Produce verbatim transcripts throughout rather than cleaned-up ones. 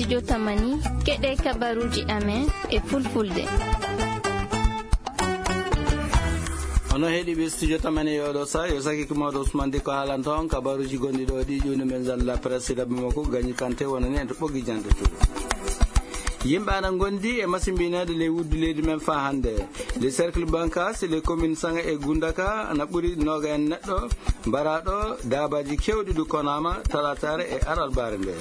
Jotamani, keɗe kabaruji amen e fulfulde. Ono heɗiɓe studio tamani e oɗo sa, yo saki ko mawɗo Ousmane Diko haalanta on kabaruji gonɗi ɗo ɗi ƴuwni men zalla presse rabbi makko gañi kante wonani en to ɓoggi jande to. Yimɓe ana gondi e masimbinede ley wuddu leydi men fa hande. Le cercle bankas le commune sanga e gundaka ana ɓuri noga en neɗɗo mbaraɗo dabaji kewɗi du konama talatare e aralbare nde.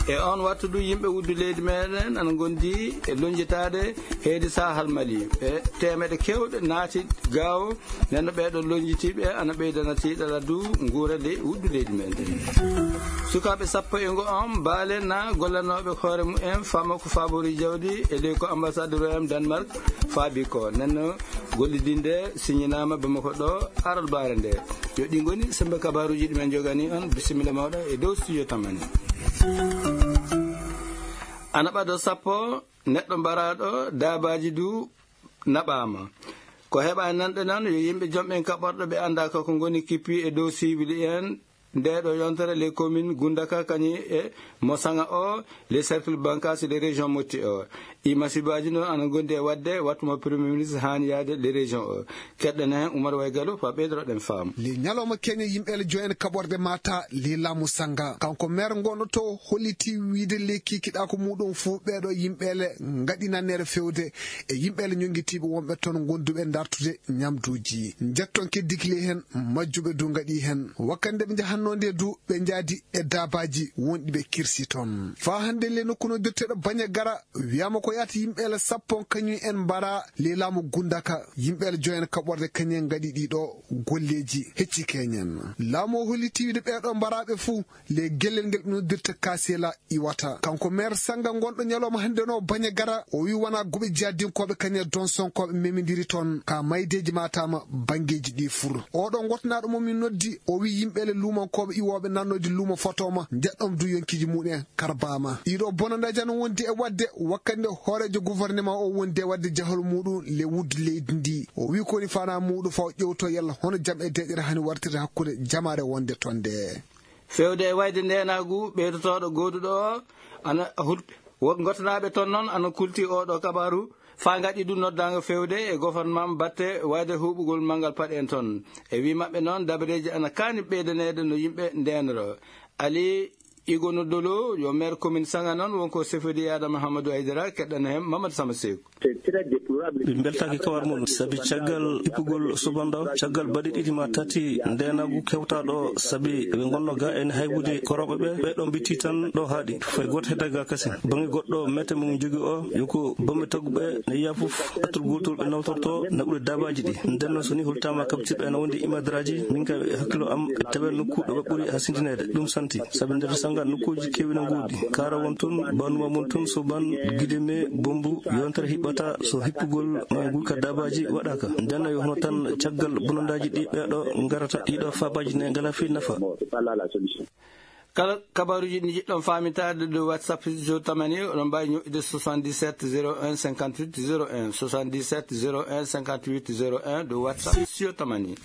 E on wattu du yimɓe wuddu leydi meɗen ana gondi e lonjitade heedi sahal mali e temeɗe kewɗe naati gawo. Nenno ɓeɗo lonjitiɓe ana ɓeydana tiɗala du nguura ley wuddu leydi men. Sukaɓe sappo e ngo on baale na gollanoɓe hoore mumen fama ko fabori jawdi e ley ko ambassadeur em Denmark faabi ko nenno gollidinde siñinama bamako ɗo aralbare nde. Yo ɗi goni sembe kabaruji ɗumen jogani on bisimilla mawɗa e dow studio tamani. Ana ɓado sappo neɗɗo mbaraɗo dabaji du naɓama. Ko heɓa nanɗe noon yo yimɓe joom ɓen kaɓorɗo ɓe annda ko ko ngoni kippi e dow siwili en nde ɗo yontere les communes gundaka kañi e mo saŋa o les cercle bankas de région motti o. I masibaji noon ana gondi e wadde wattu mo premier ministre hani yaade les région o. Keɗɗana hen oumar way galo fa ɓeydoroɗen faamu. Le ñalawma keña yimɓe ele joyen kaɓorde mata le laamu sanga kanko maire gonɗo to holliti wiide le kikiɗa ko muɗum fuu ɓeɗo yimɓe ele ngaɗi nannere fewde e yimɓe ele ñoggitiiɓe wonɓe toon gonduɓe dartude ñamduuji. Njetton keddikili heen majjuɓe du ngaɗi heen wakkande ɓe njahanno nde du ɓe njaadi e daabaaji wonɗi ɓe kirsi toon. Faa hannde le nokku no dirteɗo baña gara wiyama ko yaata yimɓe ele sappo kañum en mbara le laamu gundaka yimɓe ele joyen kaɓorde kañum en ngaɗi ɗiɗo golleeji hecci keñen. Laamu o holliti wiide ɓeɗo mbaraɓe fuu le gellel ngel ɓe noddirta kasela iwata kanko maire sanga gonɗo ñalawma hannde no baña gara o wi wona guɓe jaddinkooɓe kañe donsonkoɓe memidiri toon ka maydeji matama banngeji ɗi fur oɗo gottanaɗo mo min noddi o wi yimɓele luumankoɓe iwoɓe nannoji luuma fotoma jeɗɗom du yonkiji muɗen karbama ɗiɗo bonandaji ana wondi e wadde wakkande hoorejo gouvernement o wondi e wadde jahol muɗum le wuddu leydi ndi o wi koni fana muɗum faw ƴewto yalla hono jam e deƴƴere hani wartirde hakkude jamare wonde toon nde. Fewde e wayde ndenagu ɓeydotoɗo goduɗo o ana hulɓe wo gottanaɓe toon noon ana kulti oɗo kabaru fa gaɗi ɗum noddago fewde e gouvernement batte wayde huɓugol manngal paɗen toon. E wi maɓɓe noon dabareji ana kani ɓeydanede no yimɓe ndenoro. Ali Igono Dolo yo maire commune Sanga noon wonko sefodi Adama Hamadou Aydara keɗɗana hen Mamadou Sama Seku. Ɓe mbeltaaki kawar mum sabi caggal ippugol subannde o caggal baɗe ɗiɗi ma tati ndeenaagu kewtaaɗo o sabi ɓe ngonno ga ene haybude korooɓe ɓe ɓe ɗo mbitti tan ɗo haaɗi fay gooto hedda ga kasin. Baŋnge goɗɗo mete mo jogi o yo ko bamme tagguɓe ne yiya fof attul gootol ɓe nawtorto naɓude daabaaji ɗi. Nden noon so ni holtaama kabtirɗo ene wondi imadraaji min ka hakkilo am tawe nokku ɗo ɓe ɓuri hasindineede ɗum santi. Sabi nder sanga nokkuuji keewi no ngoodi kaara won toon banuma mon toon so ban gide me bombu yontere hiɓɓata so hippugol ma gulka dabaji waɗaka ndenna yo hono tan caggal bonondaji ɗi ɓeɗo garata ɗiɗo fabaji ne ngala fi nafa. Kala kabaruji ɗi jiɗɗon famitade ɗo whatsapp sio tamani oɗon mbawi ñoƴƴude soixante-dix-sept zéro un cinquante-huit zéro un soixante-dix-sept zéro un cinquante-huit zéro un ɗo whatsapp sio tamani.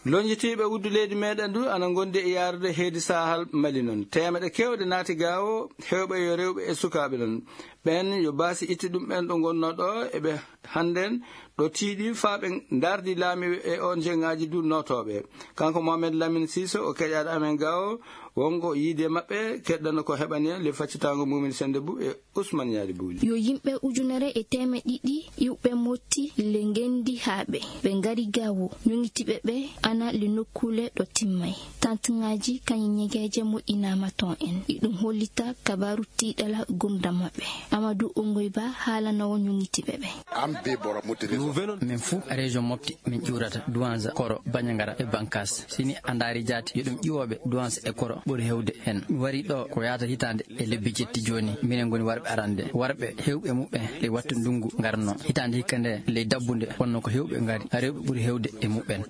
Lonjitiiɓe wuddu leydi meɗen du ana gondi e yaarude heedi sahal mali noon temeɗe kewɗe naati ga o hewɓe yo rewɓe e sukaaɓe noon ɓen yo baasi itti ɗum ɓen ɗo gonno ɗo eɓe hannden ɗo tiiɗi faa ɓe ndardi laamiiɓe e ong ngaji du nootooɓe. Kanko mohamed lamine siso o keƴaaɗo amen ga o wongo yiide maɓɓe keɗɗano ko heɓani en le faccitaango mumin sende bu e usman ñaari buuli. Yo yimɓe ujunere e teemeɗe ɗiɗi iwɓe motti le ngendi haa ɓe ɓe ngari gawo ñoŋitiɓe ɓe ana le nokkule ɗo timmay tantingaji kañi ñegeje moƴƴinama ton en iɗum hollita kabaru tiɗala gumda maɓɓe. Amadou ongoy ba haalanowo ñoŋitiɓe ɓe. Am be boro mottiri. Min fu région mofti min ƴuurata duwanza koro bañagara e bankas sini a ndaari jaati yo ɗum ƴiwooɓe duwanza e koro ɓuri hewde heen mi wari ɗo ko yahata hitaande e lebbi jetti jooni minen ngoni warɓe arande warɓe hewɓe muɓɓe ley wattu ndungu ngarno hitaande hikka nde ley dabbunde wonno ko Ɓe ngari, rewɓe ɓuri heewde e muɓɓen.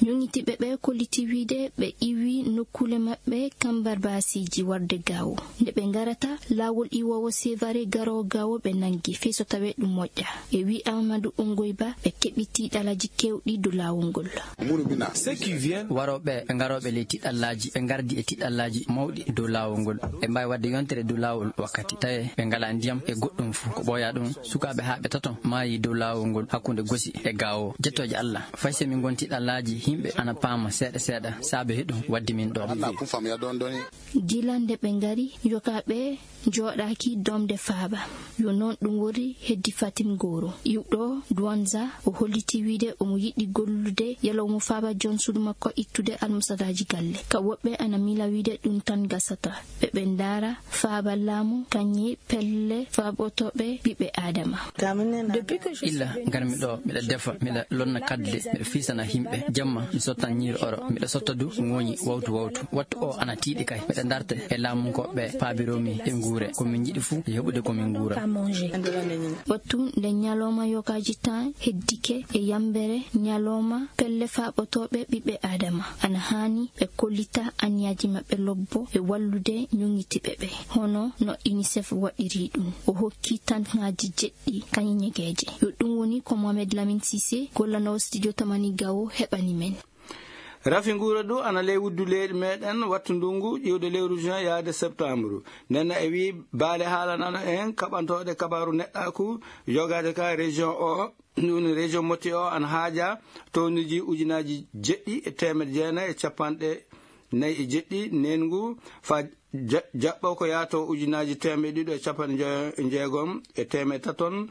Ñoŋŋitiiɓe ɓe kolliti wiyde ɓe iwi nokkuule maɓɓe kambarbaasiiji warde gaawo. Nde ɓe ngarata, laawol iwoowo Sevare garoowo gaawo ɓe nanngi, fii so tawee ɗum moƴƴa. E wii Amadou Ongoyba, ɓe keɓi tiiɗalaaji keewɗi dow laawol ngol. Warooɓe, ɓe ngarooɓe ley tiiɗalaaji, ɓe ngardi e tiiɗalaaji mawɗi dow laawol ngol. Ɓe mbaawi waɗde yontere dow laawol wakkati. Tawee ɓe ngalaa ndiyam e goɗɗum fuu. Ko ɓooya ɗum, sukaaɓe haa ɓe tato maayi dow laawol ngol hakkunde Gosi e Gaawo. Jettooje Allah, fay so min ngonti ɗallaaji, yimɓe ana paama seeɗa seeɗa, saabe heɗum waddi min ɗo. Gila nde ɓe ngari, yokaaɓe njooɗaaki domde faaba. Yo noon ɗum woni heddi Fatim Goro. Iwɗo Duwanza, o holliti wiyde omo yiɗi gollude yalla omo faaba joom suudu makko ittude almusadaaji galle. Ka woɓɓe ana miila wiyde ɗum tan gasata. Ɓe ɓe ndaara faaba laamu, kañe pelle faaɓotooɓe ɓiɓɓe Aadama. Illa ngarmi ɗo, miɗa defa, miɗa lonna kadde, miɗa fiisana yimɓe. Jamma, mi sottan ñiiri oro, miɗa sotta du ŋooñi wawtu wawtu. Wattu o ana tiiɗi kay. Miɗa ndarta e laamunkooɓe paabiromi e nguure. Ko min njiɗi fuu, yo heɓude ko min nguura. Wattu nde ñalooma yokaaji tan heddike e yambere ñalooma pelle faaɓotooɓe ɓiɓɓe Aadama. Ana haani ɓe kollita aniyaaji maɓɓe lobbo e wallude ñoŋitiiɓe ɓe, hono no UNICEF waɗiri ɗum. O hokki tanŋaaji jeɗɗi kañe ñegeeje. Yo ɗum woni ko Mohamed Lamine Cissé, gollanoowo studio Tamani Gawo, heɓani men. Rafi nguura du ana ley wuddu leyɗe meɗen wattu ndungu ƴiwde lewru juin yaade septembre. Nden e wii baale haalanano en kaɓantooɗe kabaaru neɗɗaaku yogaade ka région o. Ɗum woni région Moti o ana haaja tonnuji ujunaaji jeɗɗi e teemedde jeenayi e capanɗe nayi e jeɗɗi neengu fa ja-, jaɓɓo ko yaato ujunaaji teemedde ɗiɗo e capanɗe njoyo-, njeegom e teemedde taton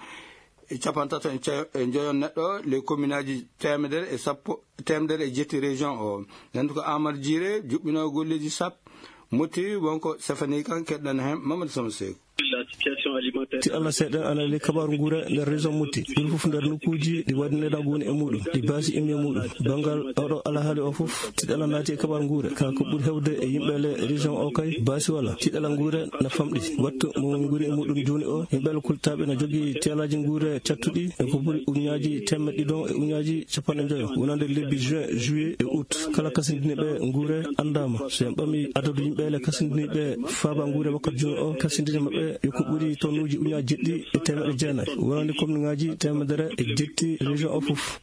e capanɗe tato e ce-, e njoyon neɗɗo, les communeaaji teemedere e sappo, teemedere e jetti région o. Nden ko Amadou Djiré juɓɓinoowo golleeji sap, Moti wonko sefanii kan, keɗɗan heen Mamadou Sama Seeku. Ti Allah seeɗen ana ley kabaaru nguure nder région Moti. Ɗum fof nder nokkuuji ɗi waɗi neɗɗo woni e muɗum, ɗi baasi immi e muɗum. Banngal oɗo alhaali o fof, tiɗala naati e kabaaru nguure. Ka ko ɓuri heewde e yimɓe le région o kay, baasi wala. Tiɗala nguure na famɗi. Wattu mo woni nguuri e muɗum jooni o, yimɓe le kultaaɓe na jogii teelaaji nguure cattuɗi e ko ɓuri uñaaji teemedde ɗiɗon e uñaaji capanɗe njoyo. Wonande lebbi juin, juillet e août. Kala kasindiniiɓe nguure anndaama. So en ɓami adadu yimɓe le kasindiniiɓe faaba nguure wakkati jooni o, kasindini maɓɓe yo ko ɓuri tonnuuji uñaaji jeɗɗi e teemedde jeenayi. Wonande komniŋaaji teemedere e jetti région o fof.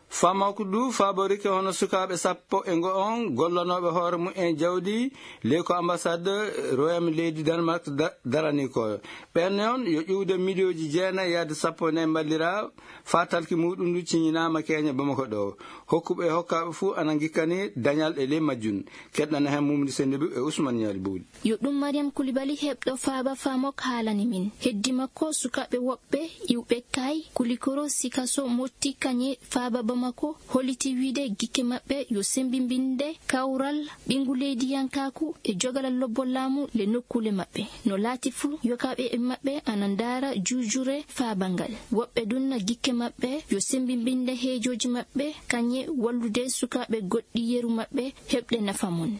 Faamaako du faaborike hono sukaaɓe sappo e ngo on gollanooɓe hoore mumen jawdi ley ko ambassade Royaume leydi Danemark da-, darani ko. Ɓen noon yo ƴuwde miliyooji jeenayi yaade sappo e nayi mballira faa talki muɗum ndu ciñinaama keeña Bamako ɗo. Hokkuɓe e hokkaaɓe fuu ana ngikkani dañal e ley majjum. Keɗɗana heen Mumdi Sendibu e Usman Ñaali Bowli. Yo ɗum Mariam Kulibali heɓɗo faaba Faamok haalani min. Heddi makko sukaaɓe woɓɓe iwɓe kay Kulikoro, Sikaso, Motti, kañe faaba Bamako holliti wiyde gikke maɓɓe yo sembimbinde kawral ɓinngu leydiyankaaku e jogalal lobbo laamu le nokkuule maɓɓe. No laati fuu, yokaaɓe e maɓɓe ana ndaara juujure faaba ngal. Woɓɓe dunna gikke maɓɓe yo sembimbinde heejooji maɓɓe, kañe wallude sukaaɓe goɗɗi yeru maɓɓe heɓde nafa mum.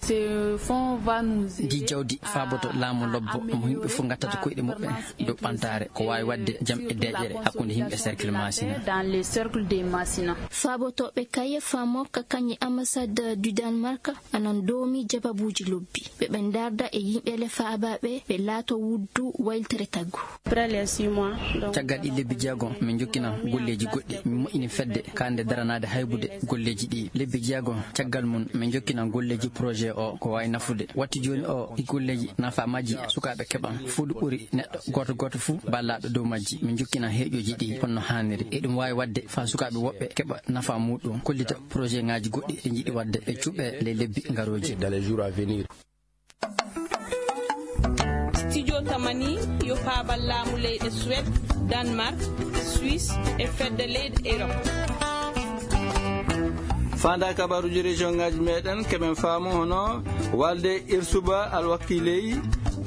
Ndi jawdi faaboto laamu lobbo mo yimɓe fof ngattata koyɗe muɓɓen dow ɓantaare ko waawi waɗde jam e deeƴere hakkunde yimɓe cercle Masina. Faabotooɓe kaye Faamok kañe ambassade du Danemark anan doomi jababuuji lobbi. Ɓe ɓe ndaarda e yimɓe le faabaaɓe ɓe laato wuddu wayltere taggu. Caggal ɗi lebbi jeego, min njokkina golleeji goɗɗi. Min moƴƴini fedde kaande daranaade haybude golleeji ɗi. Lebbi jeego caggal mum, min njokkina golleeji projet o ko waawi nafude. Watti jooni o, ɗi golleeji nafa majji sukaaɓe keɓan. Fuu ɗi ɓuri neɗɗo gooto gooto fuu ballaaɗo dow majji. Min njokkina heeƴooji ɗi honno haaniri. E ɗum waawi waɗde faa sukaaɓe woɓɓe keɓa nafa muuɗum, kollita projet ŋaaji goɗɗi ɗi njiɗi waɗde e cuɓe ley lebbi ngarooji. Dans les jours à venir. Studio Tamani yo faabal laamu leyɗe Suède, Danemark, Suisse e fedde leyɗe Europe. Faandaa kabaaruuji région ŋaaji meɗen, keɓen faamu hono walde Irsuba Alwakiley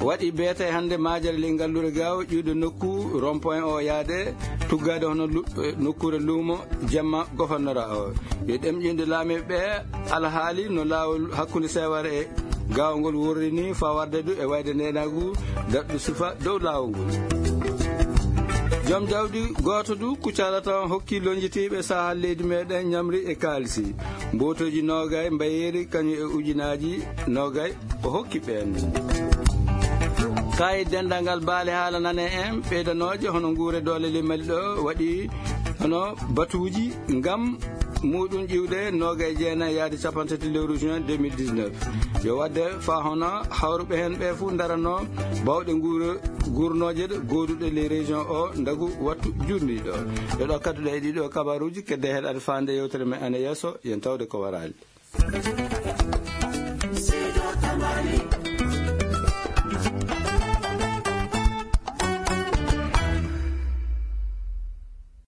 waɗi beete hannde maajere ley Ngallure Gaawo ƴuwde nokku rond-point o yaade tuggaade hono lu-, nokkuure luumo jamma gofannora o. Yo ɗemƴinde laamiiɓe ɓe alhaali no laawol hakkunde Seware e Gaawo ngol worri ni faa warde du e wayde neenaagu daɗɗo sifa dow laawol ngol. Joom jawdi gooto du kucala tan hokki lonjitiiɓe sahal leydi meɗen ñamri e kaalisi. Mbootooji noogay mbayeeri kañum e ujunaaji noogay o hokki ɓeen. Kayi denndangal baale haala nane en ɓeydanooje hono nguure doole ley Mali ɗo waɗi hono batuuji ngam muɗum ƴiwde noogay jeenayi yaade capanɗe tati lewru juin deux mille dix-neuf. Yo waɗde fa hono hawruɓe heen ɓe fof ndaranno bawɗe nguure gurnooje ɗe gooduɗe ley région o ndagu wattu jurniiɗo. E ɗo kadduɗe e ɗiɗo kabaruuji kedde heɗade faande yewtere men ene yeeso, yen tawde ko waraali.